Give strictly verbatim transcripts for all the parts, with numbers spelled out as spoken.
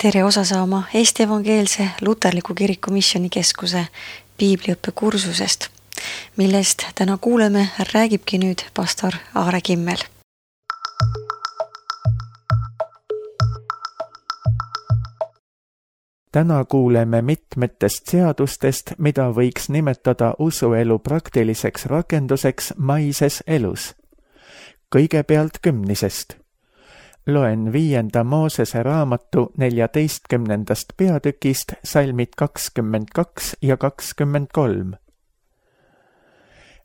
tere osa saama Eesti Evangeelse Luterliku Kiriku Missioonikeskuse piibliõppekursusest, millest täna kuuleme, räägibki nüüd pastor Aare Kimmel. Täna kuuleme mitmetest seadustest, mida võiks nimetada usuelu praktiliseks rakenduseks maises elus. Kõigepealt kümnisest. Loen viienda Moosese raamatu neljateistkümnendast peatükist salmid kakskümmend kaks ja kakskümmend kolm.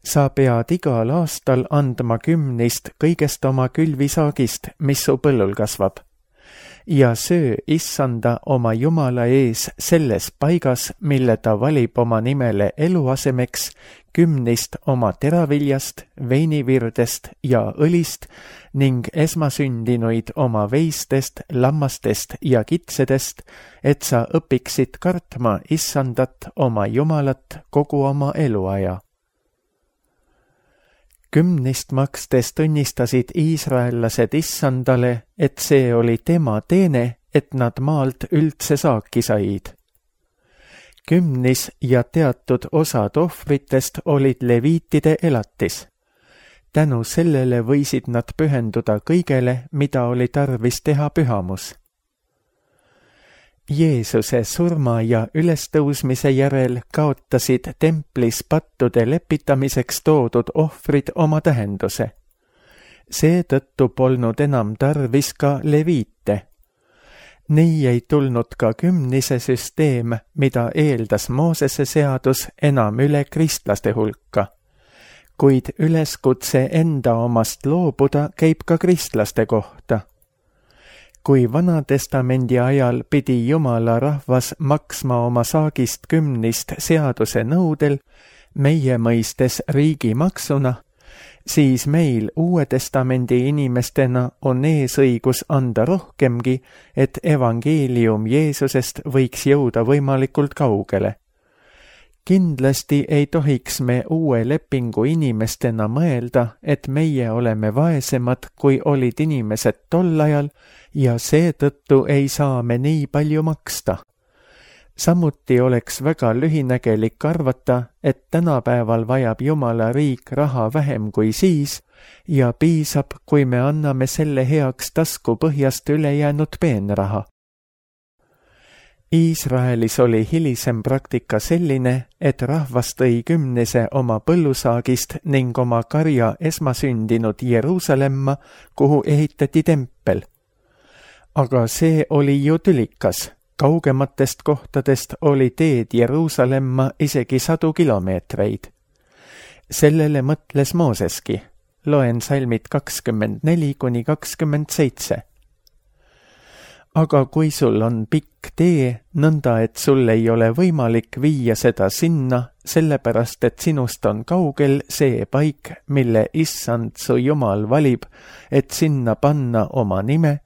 Sa pead igal aastal andma kümnist kõigest oma külvisaagist, mis su põllul kasvab, ja söö issanda oma Jumala ees selles paigas, mille ta valib oma nimele eluasemeks, kümnist oma teraviljast, veinivirdest ja õlist ning esmasündinuid oma veistest, lammastest ja kitsedest, et sa õpiksid kartma issandat oma Jumalat kogu oma eluaja. Kümnist makstes tunnistasid iisraellased issandale, et see oli tema teene, et nad maalt üldse saaki said. Kümnis ja teatud osad ohvritest olid leviitide elatis. Tänu sellele võisid nad pühenduda kõigele, mida oli tarvis teha pühamus. Jeesuse surma ja ülestõusmise järel kaotasid templis pattude lepitamiseks toodud ohvrid oma tähenduse. Seetõttu polnud enam tarvis ka leviite. Nii ei tulnud ka kümnise süsteem, mida eeldas Moosese seadus, enam üle kristlaste hulka. Kuid üleskutse enda omast loobuda käib ka kristlaste kohta. Kui Vanatestamendi ajal pidi Jumala rahvas maksma oma saagist kümnist seaduse nõudel, meie mõistes riigimaksuna, siis meil Uue Testamendi inimestena on eesõigus anda rohkemgi, et evangeelium Jeesusest võiks jõuda võimalikult kaugele. Kindlasti ei tohiks me uue lepingu inimestena mõelda, et meie oleme vaesemad, kui olid inimesed tol ajal, ja seetõttu ei saa me nii palju maksta. Samuti oleks väga lühinägelik arvata, et tänapäeval vajab Jumala riik raha vähem kui siis ja piisab, kui me anname selle heaks tasku põhjast ülejäänud peenraha. Iisraelis oli hilisem praktika selline, et rahvas tõi kümnise oma põllusaagist ning oma karja esmasündinud Jeruusalemma, kuhu ehitati tempel. Aga see oli ju tülikas. Kaugematest kohtadest oli teed Jeruusalemma isegi sadu kilomeetreid. Sellele mõtles Mooseski. Loen salmid kakskümmend neli kuni kakskümmend seitse. Aga kui sul on pikk tee, nõnda et sul ei ole võimalik viia seda sinna, sellepärast et sinust on kaugel see paik, mille issand su Jumal valib, et sinna panna oma nime.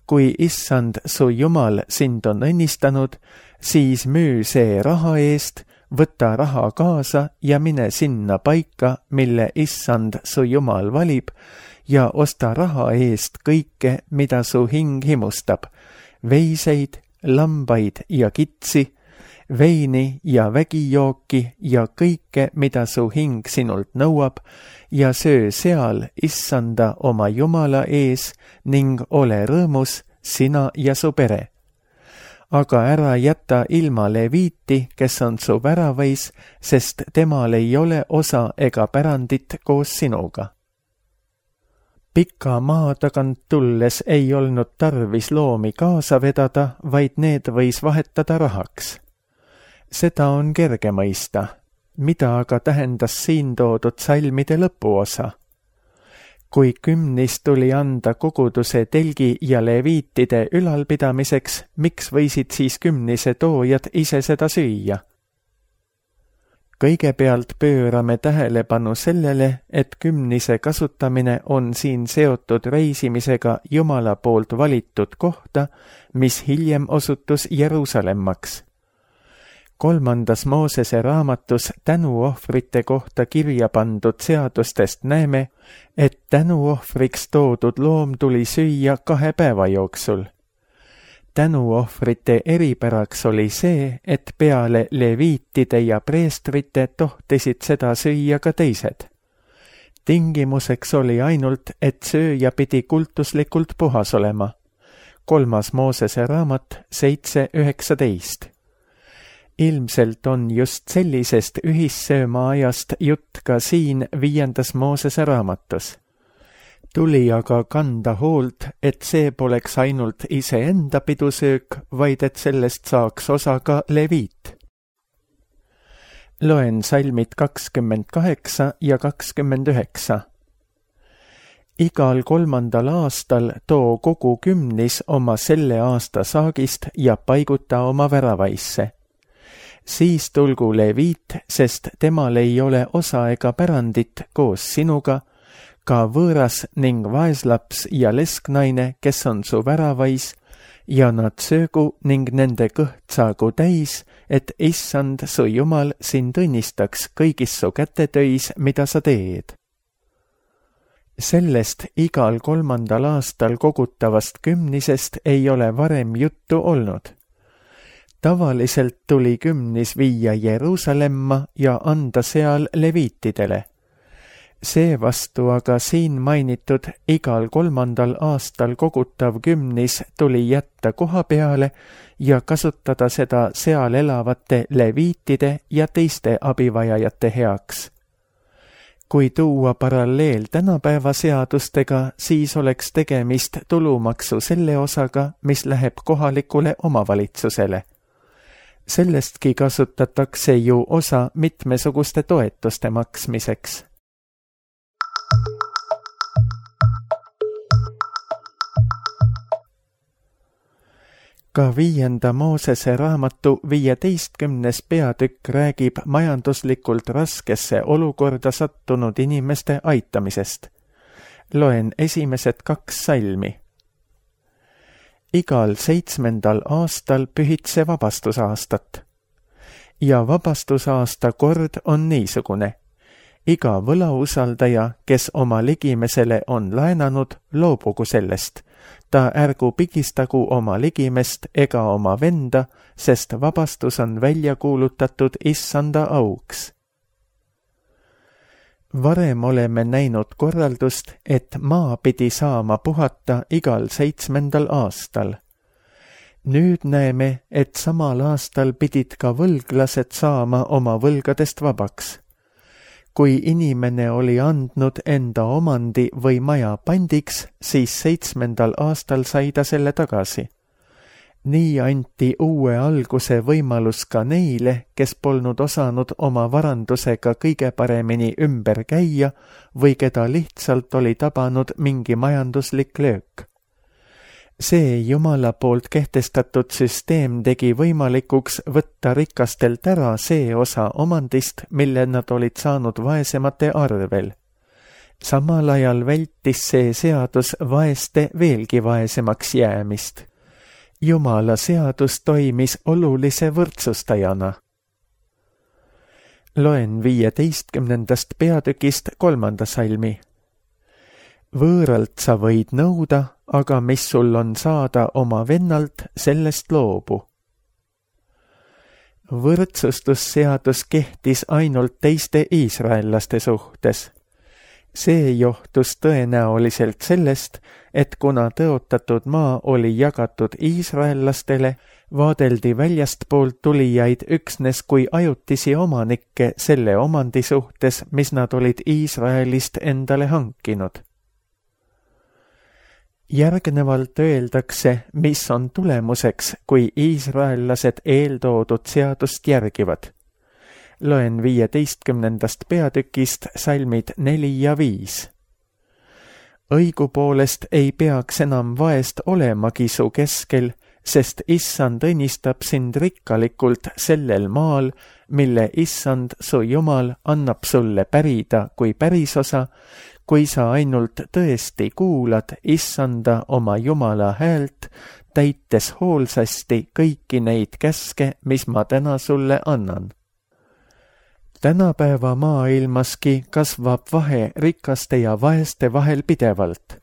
Kui issand su Jumal sind on õnnistanud, siis müü see raha eest, võta raha kaasa ja mine sinna paika, mille issand su Jumal valib, ja osta raha eest kõike, mida su hing himustab, veiseid, lambaid ja kitsi, veini ja vägijooki ja kõike, mida su hing sinult nõuab, ja söö seal issanda oma Jumala ees ning ole rõõmus, sina ja su pere. Aga ära jäta ilma leviiti, kes on su väravais, sest temal ei ole osa ega pärandit koos sinuga. Pika maa tagant tulles ei olnud tarvis loomi kaasa vedada, vaid need võis vahetada rahaks. Seda on kerge mõista, mida aga tähendas siin toodud salmide lõpuosa. Kui kümnis tuli anda koguduse telgi ja leviitide ülalpidamiseks, miks võisid siis kümnise toojad ise seda süüa? Kõigepealt pöörame tähelepanu sellele, et kümnise kasutamine on siin seotud reisimisega Jumala poolt valitud kohta, mis hiljem osutus Jeruusalemmaks. Kolmandas Moosese raamatus tänuohvrite kohta kirja pandud seadustest näeme, et tänuohvriks toodud loom tuli süüa kahe päeva jooksul. tänuohvrite eripäraks oli see, et peale leviitide ja preestrite tohtisid seda süüa ka teised. Tingimuseks oli ainult, et sööja pidi kultuslikult puhas olema. Kolmas Moosese raamat seitse üheksateist. Ilmselt on just sellisest ühissööma ajast jutt ka siin viiendas Moosese raamatus. Tuli aga kanda hoolt, et see poleks ainult iseenda pidusöök, vaid et sellest saaks osa ka leviit. Loen salmid kakskümmend kaheksa ja kakskümmend üheksa. Igal kolmandal aastal too kogu kümnis oma selle aasta saagist ja paiguta oma väravaisse. Siis tulgu leviit, sest temal ei ole osa ega pärandit koos sinuga, ka võõras ning vaeslaps ja lesknaine, kes on su väravais, ja nad söögu ning nende kõht saagu täis, et issand su Jumal sind õnnistaks kõigis su kätetöis, mida sa teed. Sellest igal kolmandal aastal kogutavast kümnisest ei ole varem juttu olnud. Tavaliselt tuli kümnis viia Jeruusalemma ja anda seal leviitidele. Seevastu aga siin mainitud igal kolmandal aastal kogutav kümnis tuli jätta koha peale ja kasutada seda seal elavate leviitide ja teiste abivajajate heaks. Kui tuua paralleel tänapäeva seadustega, siis oleks tegemist tulumaksu selle osaga, mis läheb kohalikule omavalitsusele. Sellestki kasutatakse ju osa mitmesuguste toetuste maksmiseks. Ka viienda Moosese raamatu viieteistkümnes peatükk räägib majanduslikult raskesse olukorda sattunud inimeste aitamisest. Loen esimesed kaks salmi. Igal seitsmendal aastal pühitse vabastusaastat. Ja vabastusaasta kord on niisugune. Iga võlausaldaja, kes oma ligimesele on laenanud, loobugu sellest. Ta ärgu pigistagu oma ligimest ega oma venda, sest vabastus on välja kuulutatud issanda auks. Varem oleme näinud korraldust, et maa pidi saama puhata igal seitsmendal aastal. Nüüd näeme, et samal aastal pidid ka võlglased saama oma võlgadest vabaks. Kui inimene oli andnud enda omandi või maja pandiks, siis seitsmendal aastal sai ta selle tagasi. Nii anti uue alguse võimalus ka neile, kes polnud osanud oma varandusega kõige paremini ümber käia või keda lihtsalt oli tabanud mingi majanduslik löök. See Jumala poolt kehtestatud süsteem tegi võimalikuks võtta rikastelt ära see osa omandist, mille nad olid saanud vaesemate arvel. Samal ajal vältis see seadus vaeste veelgi vaesemaks jäämist. Jumala seadus toimis olulise võrdsustajana. Loen viieteistkümnendast peatükist kolmanda salmi. Võõralt sa võid nõuda, aga mis sul on saada oma vennalt, sellest loobu. Võrdsustusseadus kehtis ainult teiste iisraellaste suhtes. See johtus tõenäoliselt sellest, et kuna tõotatud maa oli jagatud iisraellastele, vaadeldi väljastpoolt tulijaid üksnes kui ajutisi omanikke selle omandi suhtes, mis nad olid Iisraelist endale hankinud. Järgnevalt öeldakse, mis on tulemuseks, kui iisraellased eeltoodud seadust järgivad. Loen viieteistkümnendast peatükist salmid neli ja viis. Õigupoolest ei peaks enam vaest olemagi su keskel, sest issand õnnistab sind rikkalikult sellel maal, mille issand su Jumal annab sulle pärida kui pärisosa, kui sa ainult tõesti kuulad issanda oma Jumala häält, täites hoolsasti kõiki neid käske, mis ma täna sulle annan. Tänapäeva maailmaski kasvab vahe rikaste ja vaeste vahel pidevalt.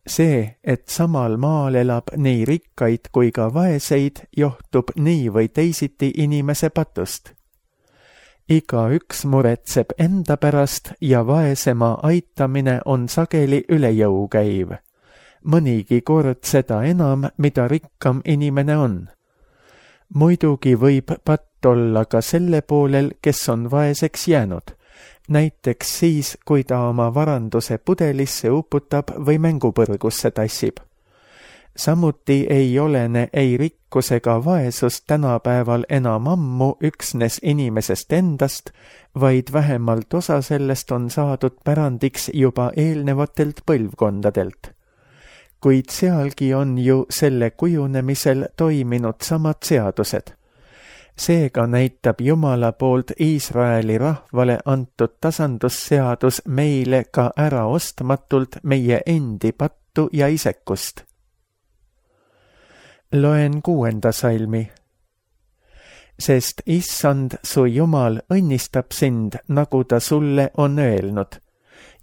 see, et samal maal elab nii rikkaid kui ka vaeseid, johtub nii või teisiti inimese patust. Igaüks muretseb enda pärast ja vaesema aitamine on sageli üle jõu käiv. Mõnigi kord seda enam, mida rikkam inimene on. Muidugi võib patt olla ka selle poolel, kes on vaeseks jäänud, näiteks siis, kui ta oma varanduse pudelisse uputab või mängupõrgusse tassib. Samuti ei olene ei rikkus ega vaesus tänapäeval enam ammu üksnes inimesest endast, vaid vähemalt osa sellest on saadud pärandiks juba eelnevatelt põlvkondadelt. Kuid sealgi on ju selle kujunemisel toiminud samad seadused. Seega näitab Jumala poolt Iisraeli rahvale antud tasandusseadus meile ka ära ostmatult meie endi pattu ja isekust. Loen kuuenda salmi. Sest Issand, su Jumal, õnnistab sind, nagu ta sulle on öelnud,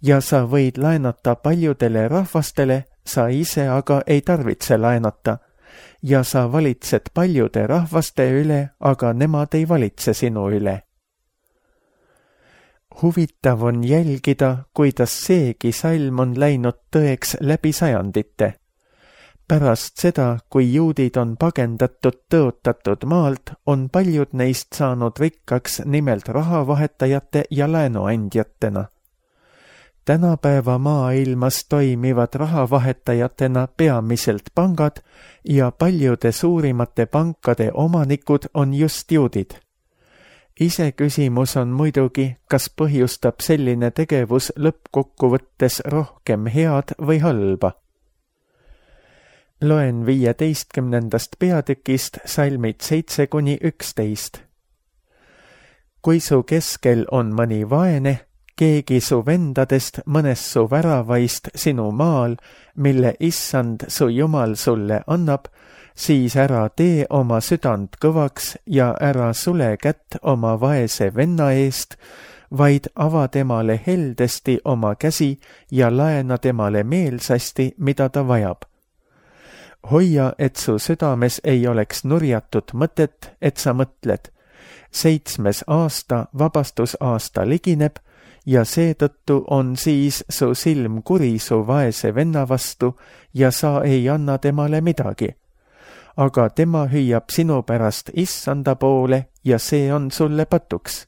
ja sa võid laenata paljudele rahvastele, sa ise aga ei tarvitse laenata, ja sa valitsed paljude rahvaste üle, aga nemad ei valitse sinu üle. Huvitav on jälgida, kuidas seegi salm on läinud tõeks läbi sajandite. Pärast seda, kui juudid on pagendatud tõotatud maalt, on paljud neist saanud rikkaks nimelt rahavahetajate ja laenuandjatena. Tänapäeva maailmas toimivad rahavahetajatena peamiselt pangad ja paljude suurimate pankade omanikud on just juudid. Iseküsimus on muidugi, kas põhjustab selline tegevus lõppkokkuvõttes rohkem head või halba. Loen viieteistkümnendast peatükist salmid seitse kuni üksteist. Kui su keskel on mõni vaene, keegi su vendadest mõnes su väravaist sinu maal, mille Issand su Jumal sulle annab, siis ära tee oma südant kõvaks ja ära sule kätt oma vaese venna eest, vaid ava temale heldesti oma käsi ja laena temale meelsasti, mida ta vajab. Hoia, et su südames ei oleks nurjatud mõtet, et sa mõtled. Seitsmes aasta, vabastusaasta ligineb, ja seetõttu on siis su silm kuri su vaese venna vastu ja sa ei anna temale midagi. Aga tema hüüab sinu pärast Issanda poole ja see on sulle patuks.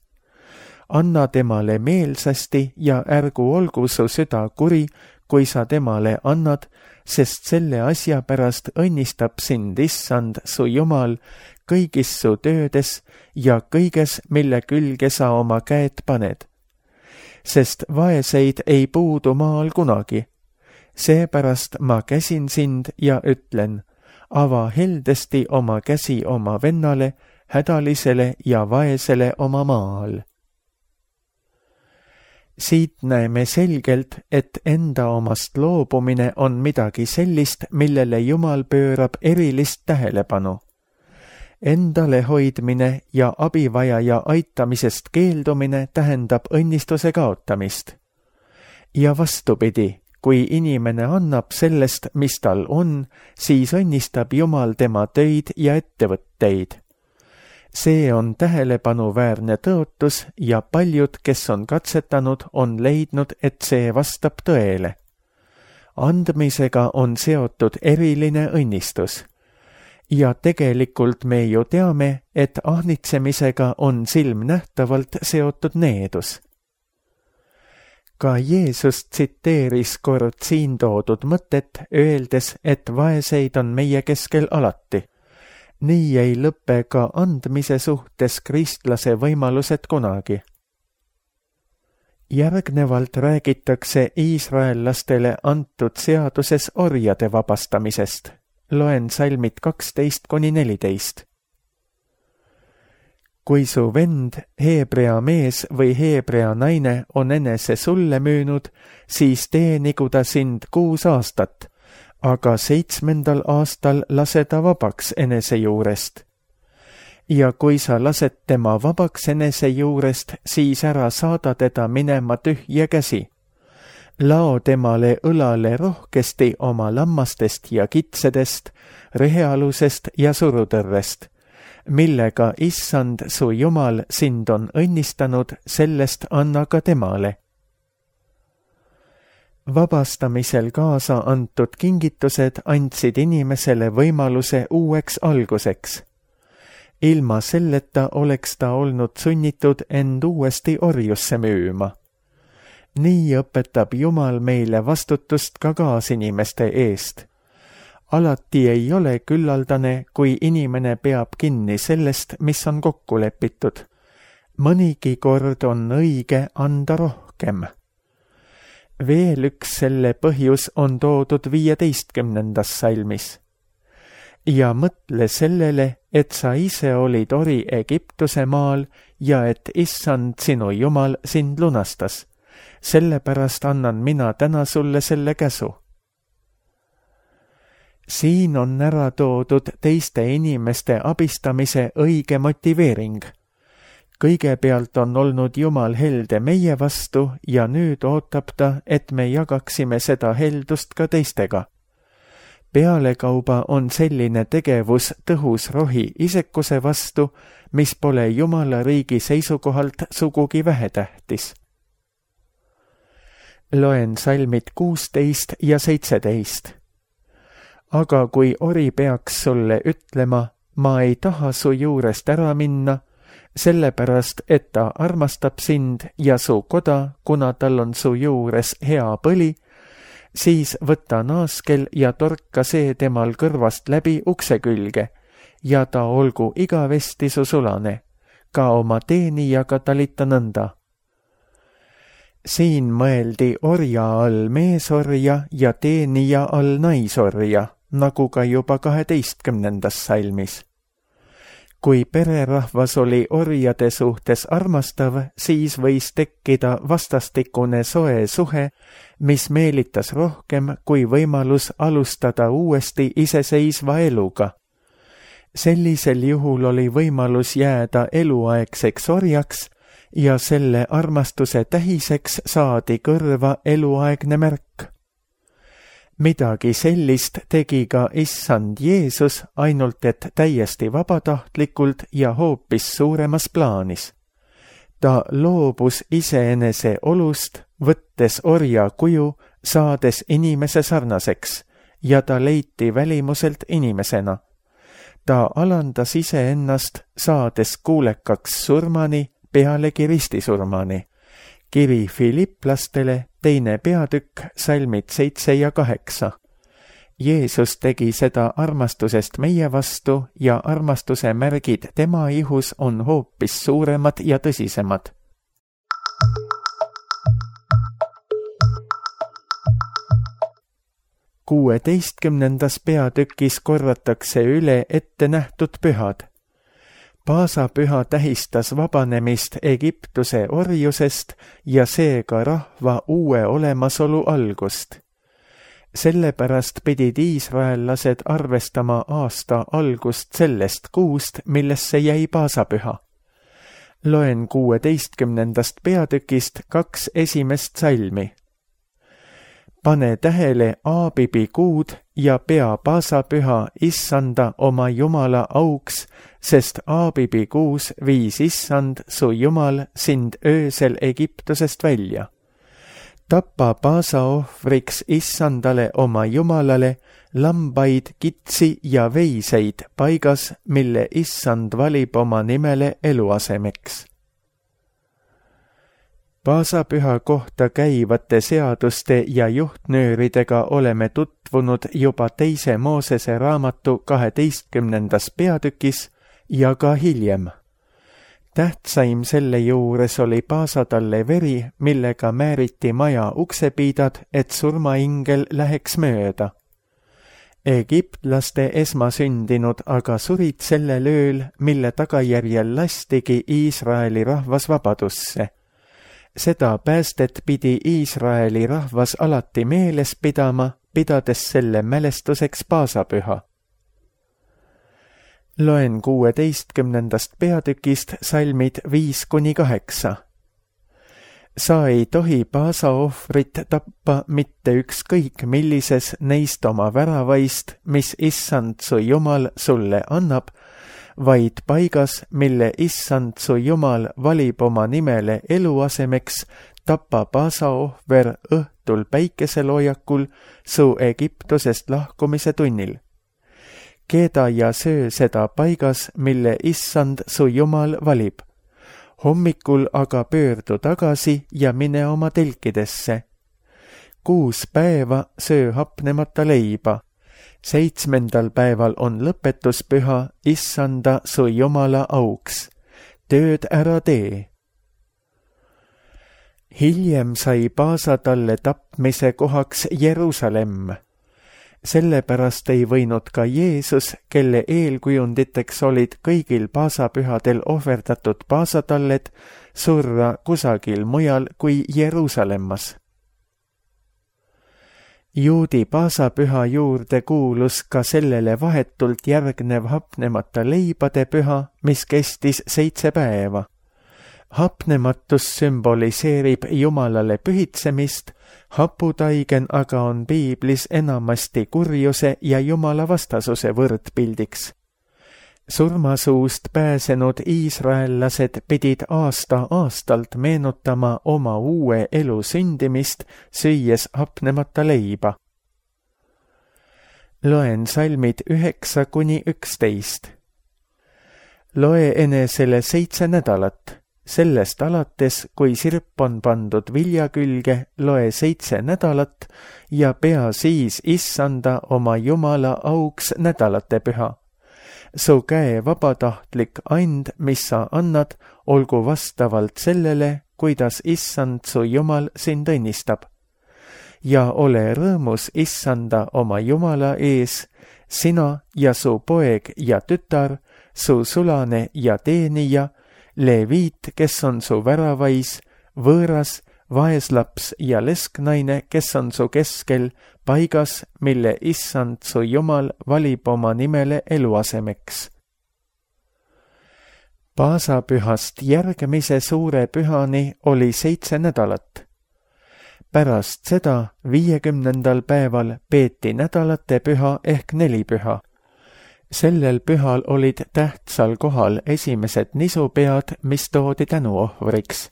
Anna temale meelsasti ja ärgu olgu su süda kuri, kui sa temale annad, sest selle asja pärast õnnistab sind Issand, su Jumal, kõigis su töödes ja kõiges, mille külge sa oma käed paned. Sest vaeseid ei puudu maal kunagi. Seepärast ma käsin sind ja ütlen, ava heldesti oma käsi oma vennale, hädalisele ja vaesele oma maal. Siit näeme selgelt, et enda omast loobumine on midagi sellist, millele Jumal pöörab erilist tähelepanu. Endale hoidmine ja abivajaja aitamisest keeldumine tähendab õnnistuse kaotamist. Ja vastupidi, kui inimene annab sellest, mis tal on, siis õnnistab Jumal tema töid ja ettevõtteid. See on tähelepanuväärne tõotus ja paljud, kes on katsetanud, on leidnud, et see vastab tõele. Andmisega on seotud eriline õnnistus. Ja tegelikult me ju teame, et ahnitsemisega on silmnähtavalt seotud needus. Ka Jeesus tsiteeris kord siin toodud mõtet, öeldes, et vaeseid on meie keskel alati. Nii ei lõpe ka andmise suhtes kristlase võimalused kunagi. Järgnevalt räägitakse iisraellastele antud seaduses orjade vabastamisest. Loen salmid kaksteist kuni neliteist. Kui su vend, heebrea mees või heebrea naine on enese sulle müünud, siis teenigu ta sind kuus aastat, aga seitsmendal aastal lase ta vabaks enese juurest. Ja kui sa lased tema vabaks enese juurest, siis ära saada teda minema tühja käsi. lao temale õlale rohkesti oma lammastest ja kitsedest, rehealusest ja surutõrrest, millega issand su Jumal sind on õnnistanud, sellest anna ka temale. Vabastamisel kaasa antud kingitused andsid inimesele võimaluse uueks alguseks. Ilma selleta oleks ta olnud sunnitud end uuesti orjusse müüma. Nii õpetab Jumal meile vastutust ka kaasinimeste eest. Alati ei ole küllaldane, kui inimene peab kinni sellest, mis on kokku lepitud. Mõnigi kord on õige anda rohkem. Veel üks selle põhjus on toodud viieteistkümnendas salmis. Ja mõtle sellele, et sa ise olid ori Egiptuse maal ja et issand sinu Jumal sind lunastas. Sellepärast annan mina täna sulle selle käsu. Siin on ära toodud teiste inimeste abistamise õige motiveering. Kõigepealt on olnud Jumal helde meie vastu ja nüüd ootab ta, et me jagaksime seda heldust ka teistega. Pealekauba on selline tegevus tõhus rohi isekuse vastu, mis pole Jumala riigi seisukohalt sugugi vähetähtis. Loen salmid kuusteist ja seitseteist. Aga kui ori peaks sulle ütlema, ma ei taha su juurest ära minna, sellepärast, et ta armastab sind ja su koda, kuna tal on su juures hea põli, siis võta naaskel ja torka see temal kõrvast läbi ukse külge ja ta olgu igavesti su sulane, ka oma teenijaga talita nõnda. Siin mõeldi orja all meesorja ja teenija all naisorja, nagu ka juba kaheteistkümnendas salmis. Kui pererahvas oli orjade suhtes armastav, siis võis tekkida vastastikune soe suhe, mis meelitas rohkem kui võimalus alustada uuesti iseseisva eluga. Sellisel juhul oli võimalus jääda eluaegseks orjaks ja selle armastuse tähiseks saadi kõrva eluaegne märk. Midagi sellist tegi ka issand Jeesus, ainult et täiesti vabatahtlikult ja hoopis suuremas plaanis. Ta loobus iseenese olust, võttes orja kuju, saades inimese sarnaseks, ja ta leiti välimuselt inimesena. Ta alandas iseennast, saades kuulekaks surmani, pealegi ristisurmani. Kiri Filiplastele, teine peatükk, salmid seitse ja kaheksa. Jeesus tegi seda armastusest meie vastu ja armastuse märgid tema ihus on hoopis suuremad ja tõsisemad. Kuueteistkümnendas peatükis korratakse üle ette nähtud pühad. Paasapüha tähistas vabanemist Egiptuse orjusest ja seega rahva uue olemasolu algust. Sellepärast pidid iisraellased arvestama aasta algust sellest kuust, millesse jäi paasapüha. Loen kuueteistkümnendast peatükist kaks esimest salmi. Pane tähele Aabibi kuud ja pea paasapüha issanda oma Jumala auks, sest Aabibi kuus viis issand su Jumal sind öösel Egiptusest välja. Tapa paasaohvriks issandale oma Jumalale lambaid, kitsi ja veiseid paigas, mille issand valib oma nimele eluasemeks. Paasapüha kohta käivate seaduste ja juhtnööridega oleme tutvunud juba teise Moosese raamatu kaheteistkümnendas peatükis ja ka hiljem. Tähtsaim selle juures oli paasatalle veri, millega määriti maja uksepiidad, et surmaingel läheks mööda. Egiptlaste esmasündinud aga surid sellel ööl, mille tagajärjel lastigi Iisraeli rahvas vabadusse. Seda päästet pidi Iisraeli rahvas alati meeles pidama, pidades selle mälestuseks paasapüha. Loen kuueteistkümnendast peatükist salmid viis kuni kaheksa. sa ei tohi paasaohvrit tappa mitte ükskõik millises neist oma väravaist, mis issand su Jumal sulle annab, vaid paigas, mille issand su Jumal valib oma nimele eluasemeks, tappa paasaohver õhtul päikeseloojakul su Egiptusest lahkumise tunnil. Keeda ja söö seda paigas, mille issand su Jumal valib. Hommikul aga pöördu tagasi ja mine oma telkidesse. Kuus päeva söö hapnemata leiba. Seitsmendal päeval on lõpetuspüha issanda su Jumala auks. Tööd ära tee. Hiljem sai Paasa talle tapmise kohaks Jeruusalemm. Sellepärast ei võinud ka Jeesus, kelle eelkujunditeks olid kõigil paasapühadel ohverdatud paasatalled, surra kusagil mujal kui Jeruusalemmas. Juudi paasapüha juurde kuulus ka sellele vahetult järgnev hapnemata leibade püha, mis kestis seitse päeva. Hapnematus sümboliseerib Jumalale pühitsemist, haputaigen aga on piiblis enamasti kurjuse ja Jumala vastasuse võrdpildiks. Surmasuust pääsenud iisraellased pidid aasta aastalt meenutama oma uue elu sündimist, süües hapnemata leiba. Loen salmid üheksa kuni üksteist. Loe enesele seitse nädalat. Sellest alates, kui sirp on pandud vilja külge, loe seitse nädalat ja pea siis issanda oma Jumala auks nädalate püha. Su käe vabatahtlik and, mis sa annad, olgu vastavalt sellele, kuidas issand su Jumal sind õnnistab. Ja ole rõõmus issanda oma Jumala ees, sina ja su poeg ja tütar, su sulane ja teenija, leviit, kes on su väravais, võõras, vaeslaps ja lesknaine, kes on su keskel, paigas, mille issand su Jumal valib oma nimele eluasemeks. Paasapühast järgmise suure pühani oli seitse nädalat. Pärast seda viiekümnendal päeval peeti nädalate püha ehk nelipüha. Sellel pühal olid tähtsal kohal esimesed nisupead, mis toodi tänuohvriks.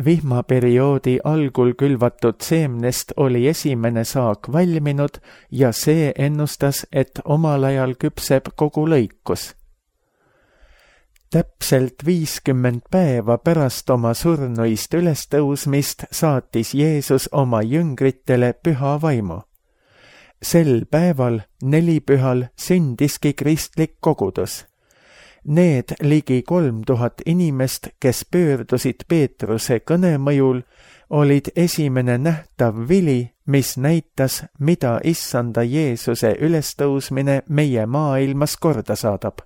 Vihmaperioodi algul külvatud seemnest oli esimene saak valminud ja see ennustas, et omal ajal küpseb kogu lõikus. Täpselt viiskümmend päeva pärast oma surnuist ülestõusmist saatis Jeesus oma jüngritele püha vaimu. Sel päeval, nelipühal, sündiski kristlik kogudus. Need ligi kolm tuhat inimest, kes pöördusid Peetruse kõne mõjul, olid esimene nähtav vili, mis näitas, mida issanda Jeesuse ülestõusmine meie maailmas korda saadab.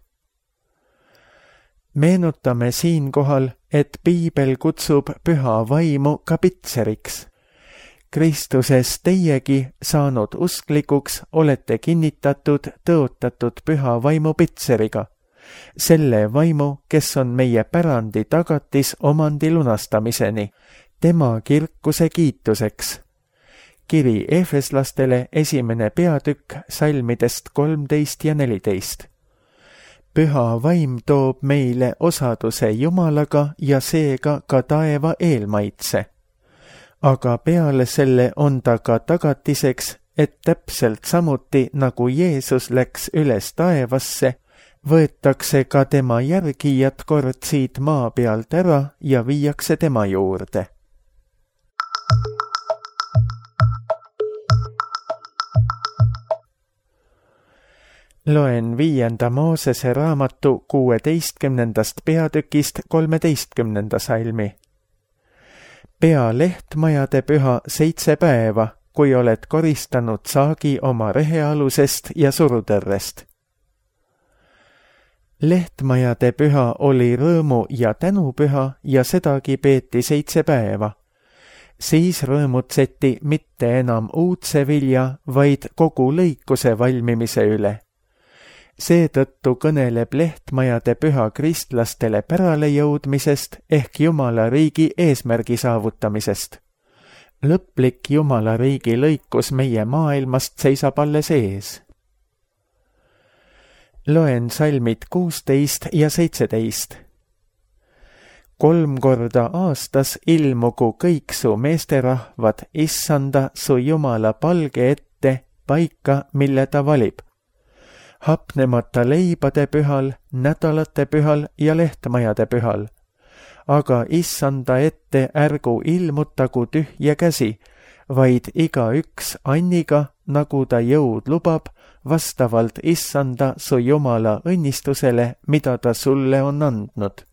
Meenutame siinkohal, et piibel kutsub püha vaimu ka pitseriks. Kristuses teiegi saanud usklikuks olete kinnitatud tõotatud püha vaimu pitseriga, selle vaimu, kes on meie pärandi tagatis omandi lunastamiseni, tema kirkuse kiituseks. Kiri Efeslastele esimene peatükk salmidest kolmteist ja neliteist. Püha vaim toob meile osaduse Jumalaga ja seega ka taeva eelmaitse. Aga peale selle on ta ka tagatiseks, et täpselt samuti nagu Jeesus läks üles taevasse, võetakse ka tema järgijad kord siit maa pealt ära ja viiakse tema juurde. Loen viienda Moosese raamatu kuueteistkümnendast peatükist kolmeteistkümnenda salmi. Pea lehtmajade püha seitse päeva, kui oled koristanud saagi oma rehealusest ja surutõrrest. Lehtmajade püha oli rõõmu ja tänupüha ja sedagi peeti seitse päeva. Siis rõõmutseti mitte enam uudse vilja, vaid kogu lõikuse valmimise üle. Seetõttu kõneleb lehtmajade püha kristlastele pärale jõudmisest ehk Jumala riigi eesmärgi saavutamisest. Lõplik Jumala riigi lõikus meie maailmast seisab alles ees. Loen salmid kuusteist ja seitseteist. Kolm korda aastas ilmugu kõik su meesterahvad issanda su Jumala palge ette paika, mille ta valib. Hapnemata leibade pühal, nädalate pühal ja lehtmajade pühal. Aga issanda ette ärgu ilmutagu tühja käsi, vaid iga üks anniga, nagu ta jõud lubab, vastavalt issanda su Jumala õnnistusele, mida ta sulle on andnud.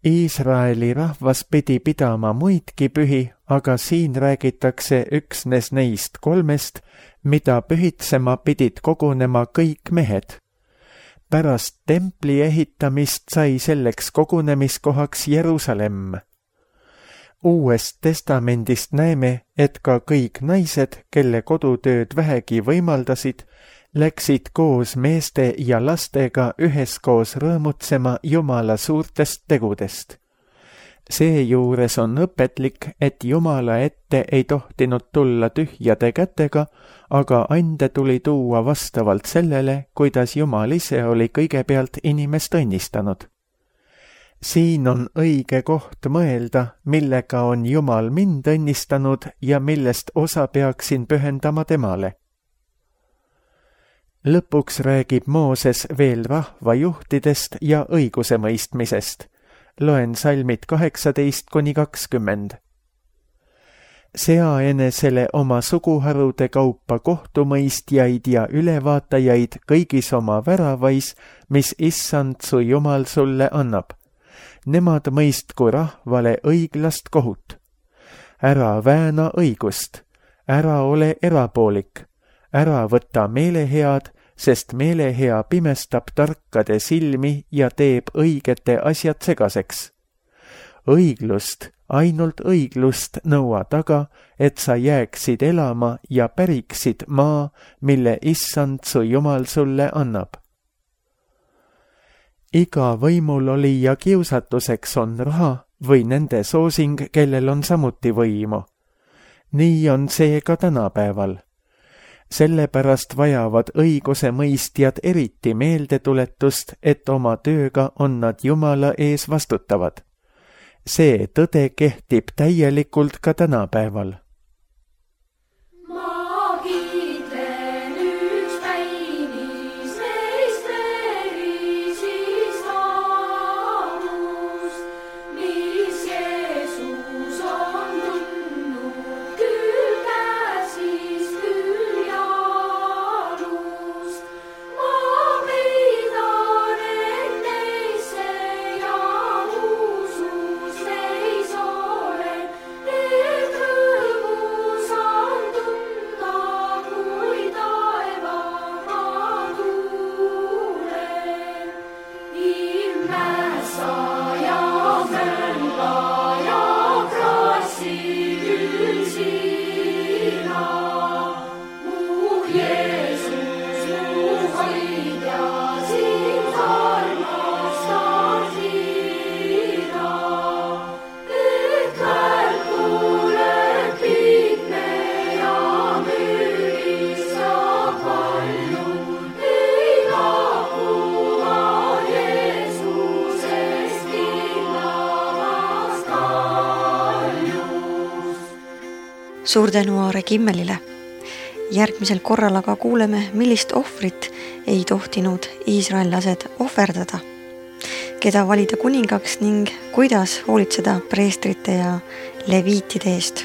Iisraeli rahvas pidi pidama muidki pühi, aga siin räägitakse üksnes neist kolmest, mida pühitsema pidid kogunema kõik mehed. Pärast templi ehitamist sai selleks kogunemiskohaks Jerusalem. Uuest testamendist näeme, et ka kõik naised, kelle kodutööd vähegi võimaldasid, läksid koos meeste ja lastega üheskoos rõõmutsema Jumala suurtest tegudest. Seejuures on õpetlik, et Jumala ette ei tohtinud tulla tühjade kätega, aga ande tuli tuua vastavalt sellele, kuidas Jumal ise oli kõigepealt inimest õnnistanud. Siin on õige koht mõelda, millega on Jumal mind õnnistanud ja millest osa peaksin pühendama temale. Lõpuks räägib Mooses veel rahvajuhtidest ja õigusemõistmisest. Loen salmid kaheksateist kuni kakskümmend. Sea enesele oma suguharude kaupa kohtumõistjaid ja ülevaatajaid kõigis oma väravais, mis issand su Jumal sulle annab. Nemad mõistku rahvale õiglast kohut. Ära vääna õigust, ära ole erapoolik, ära võta meelehead, sest meelehea pimestab tarkade silmi ja teeb õigete asjad segaseks. Õiglust, ainult õiglust nõua taga, et sa jääksid elama ja päriksid maa, mille issand su Jumal sulle annab. Iga võimul oli ja kiusatuseks on raha või nende soosing, kellel on samuti võimu. Nii on see ka tänapäeval. Sellepärast vajavad õiguse mõistjad eriti meeldetuletust, et oma tööga on nad Jumala ees vastutavad. See tõde kehtib täielikult ka tänapäeval. Suur tänu Aare Kimmelile. Järgmisel korral aga kuuleme, millist ohvrit ei tohtinud iisraellased ohverdada, keda valida kuningaks ning kuidas hoolitseda preestrite ja leviitide eest.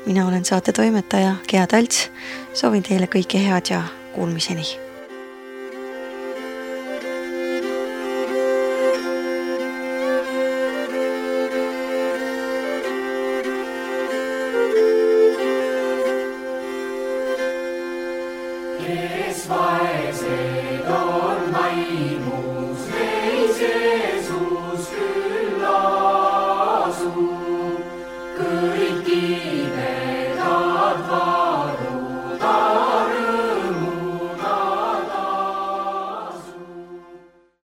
Mina olen saate toimetaja Gea Talts, soovin teile kõike head ja kuulmiseni. Vaesed on vaimus, neis Jeesus.